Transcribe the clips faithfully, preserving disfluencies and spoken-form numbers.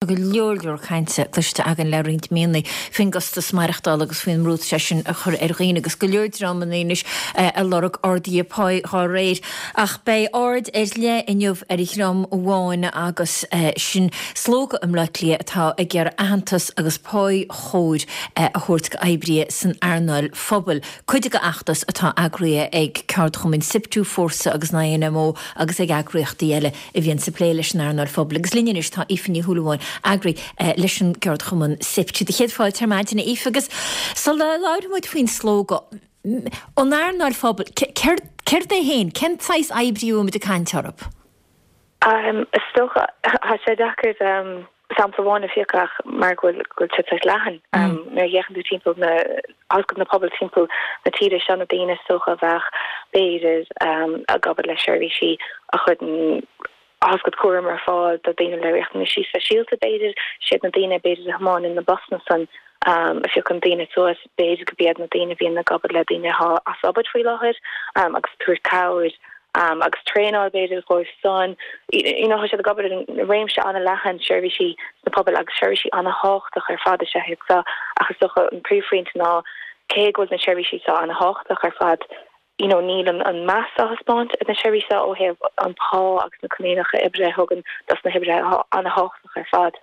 Go leor leor cainte cloiste againn le roinnt míonna faoin gcostas maireachtála agus faoin mbrú sé sin a chur ar dhaoine agus go leor dreamanna anois ag lorg arduithe páí dá réir. Ach beidh aird ar leith inniu ar dhream amháin agus sin slógadh i mBleá Cliath atá ag iarraidh aitheantas agus pá chóir a thabhairt d'oibrithe san earnáil phobail. Cuid den fheachtas atá eagraithe ag ceardchumainn SIPTU, Fórsa agus an INMO agus ag eagraíochtaí eile a bhíonn ag plé leis an earnáil phobail. Agus linn anois tá Aoife Ní Shúilleabháin, eagraí leis an gceardchumann SIPTU. Do chéad fáilte ar maidin Aoife agus sula labhraíonn muid faoin slógadh, an earnáil phobail, céard é féin, cén saghas oibrí a bhfuil muid ag caint orthu? Um, is dócha tá sé deacair um, sampla amháin a phiocadh ach mar go bhfuil go bhfuil sé sách leathan. Um, nuair a fhéachann tú timpeall na na pobail timpeall na tíre seo na daoine is dócha a bheadh b'fhéidir um, ag obair le seirbhísí a chuireann agus cúram ar fáil do daoine le riachtanaisí speisialta b'fhéidir siad na daoine b'fhéidir a thiomáineann na busanna san um, a phiocann daoine suas b'fhéidir go b'iad na daoine bhíonn ag obair le daoine atá as obair faoi láthair um, agus tabhairt cabhair um, agus traenáil b'fhéidir dóibh san you know, siad ag obair in réimse an-leathan seirbhísí sna pobail agus seirbhísí an-tábhachtach ar fad is ea seo ach is dócha an príomhphointe ná cé go bhfuil na seirbhísí seo an-tábhachtach ar fad you know, níl an, an meas á thaispeáint ar na seirbhísí ó thaobh an pá agus na coinníollacha oibre a thugann dos na hoibrithe an-tábhachtach ar fad.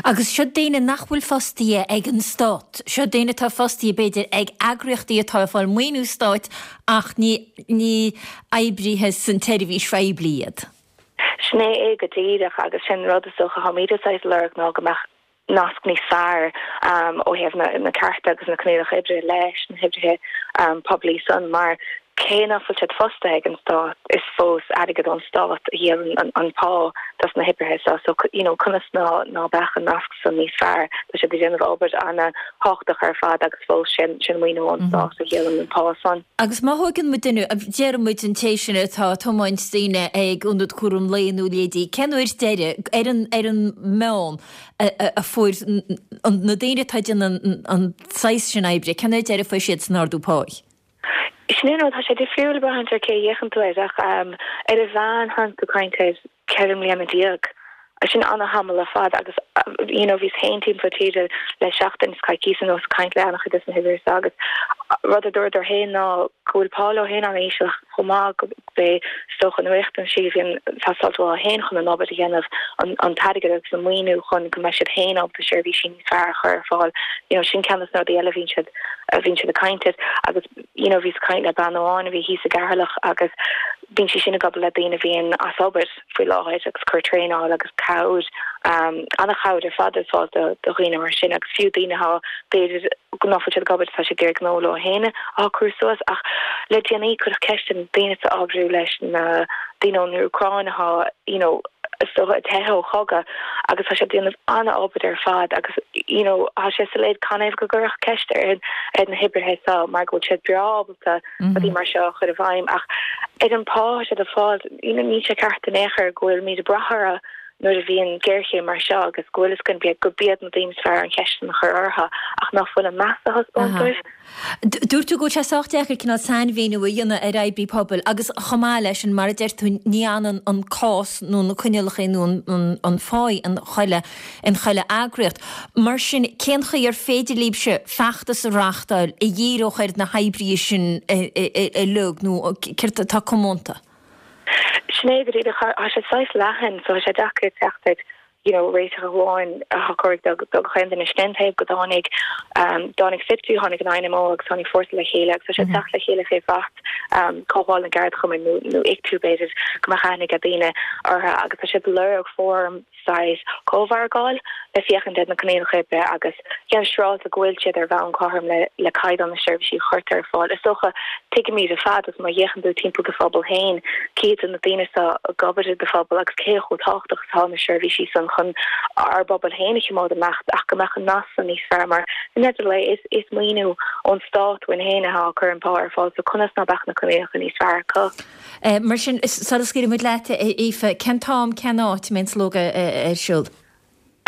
Agus seo daoine nach bhfuil fostaithe ag an stát, seo daoine atá fostaithe b'fhéidir ag eagraíochtaí atá ag fáil maoiniú stáit ach ní ní oibrithe san tseirbhís phoiblí iad. Sin é é go díreach agus sin rud is dócha atáimid ag lorg ná go mbeadh nasc níos fearr um, ó thaobh na, na cearta agus na coinníollacha oibre leis na hoibrithe um, poiblí san mar cé nach bhfuil siad fostaithe ag an stát is fós airgead ón stát a dhíolann an, an pá dos na hoibrithe so so you know conas ná ná beadh an nasc san níos fearr tá siad ag déanamh obair an-tábhachtach ar fad agus fós sin sin maoiniú ón mhm. stát a dhíolann an pá san. Agus má thógann muid duine deir muid an té sin atá ag tiomáint daoine ag ionad cúram lae nó leidí cén uair deiridh ar an ar an meán a fuair na daoine atá ag déanamh an saghas sin oibre cén uair deiridh a fuair siad san ardú páí. Sin é tá sé difriúil braithfidh ar cé fhéachann tú air ach um, ar a mheán tá tú ag caint ar ceithre mbliana déag. sin an-tamall fada agus you know bhíos féin timpeall tíre le seachtain is coicís anuas ag caint le an-chuid des na hoibrithe agus rud a dúradar féin ná go bhfuil pá leo féin an-íseal chomh maith go bé stocha na riachtaisí a bhíonn ag teastáil uathu féin chun an obair a dhéanamh an t-airgead agus an maoiniú chun go mbeidh siad féin ábalta seirbhísí níos fearr a chur ar fáil you know sin ceann des na rudaí eile bhíonn siad a bhíonn siad ag caint air agus you know bhíos ag caint le bean amháin a bhí thíos i gCeatharlach agus bíonn sí sin ag obair le daoine a bhíonn as obair faoi láthair agus cur traenáil agus cabhair um, an-chabhair ar fad ar fáil do do dhaoine mar sin agus fiú daoine atá b'fhéidir nach bhfuil siad ag obair tá siad ag gnó leo féin á cur suas ach le déanaí cuireadh ceist ar daoine atá ag obair leis na daoine ón Úcráin atá you know so ag teitheadh ó chogadh agus tá sé déanamh an-obair ar fad agus you know tá sé soiléir canathaobh go gcuirfeadh ceist ar ar na hoibrithe seo mar go bhfuil siad breá ábalta rudaí mar seo a chur i bhfeidhm ach ar an pá siad ag fáil you know níl sé ceart in aon chor go bhfuil muid ag brath orthu nuair a bhíonn géarchéim mar seo agus go bhfuil is go go b'iad na daoine is fearr an cheist a chur orthu ach nach bhfuil an meas á thaispeáint dóibh. Dúirt tú go bhfuil sé sách deacair cineál sainmhíniú a dhéanamh ar oibrí pobail agus chomh maith leis sin mar a deir tú ní ionann an cás nó na coinníollacha nó an phá in chuile in chuile eagraíocht. Mar sin cén chaoi ar féidir libhse feachtas a reáchtáil a dhíreodh ar na hoibrithe sin uilig nó céard atá comónta? Sin é go dtí tá sé saghas leathan so sé deacair teacht ar you know réiteach amháin a chuir do do chaon duine sin taobh go dtáinig um, dtáinig SIPTU tháinig an INMO agus tháinig Fórsa le chéile agus sé teacht le chéile fé bhrat um, Comhdháil na gCeardchumann nó nó ICTU b'fhéidir go mbeadh aithne ag daoine orthu agus tá siad ag lorg fóram saghas cómhargáil le féachaint ar na coinníollacha oibre agus déanamh siúráilte go bhfuil siad ar bhonn cothrom le le caighdeán na seirbhísí a chuirtear ar fáil. Is dócha tuigimid ar fad agus má fhéachann tú timpeall do phobal féin cé na daoine atá ag obair i do phobal agus cé chomh tábhachtach atá na seirbhísí san chun ár bpobal féin a choimeád amach ach go mbeadh an nasc san níos fearr mar in le is is maoiniú ón stát uainn féin atá ag cur an pá ar fáil so conas ná beadh na coinníollacha níos fearr acu. Eh, mar sin sula scaoilfidh muid leat Aoife, cén t-am cén áit a mbeidh an slógadh ar siúl?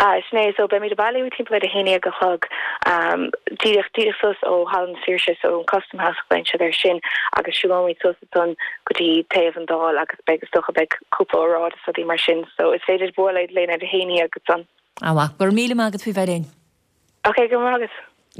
Ah, sin é so beimid ag bailiú timpeall ar a haon déag a chlog um, díreach díreach suas ó Halla na Saoirse so an Custom House bíonn siad ar sin agus siúlóimid suas ansan go dtí taobh an Dáil agus beidh is dócha beidh cúpla óráid is rudaí mar sin so is féidir bualadh linn ar a haon déag ansan. Ah, go raibh míle maith agat faoi bheith linn. Ok, go maith agat.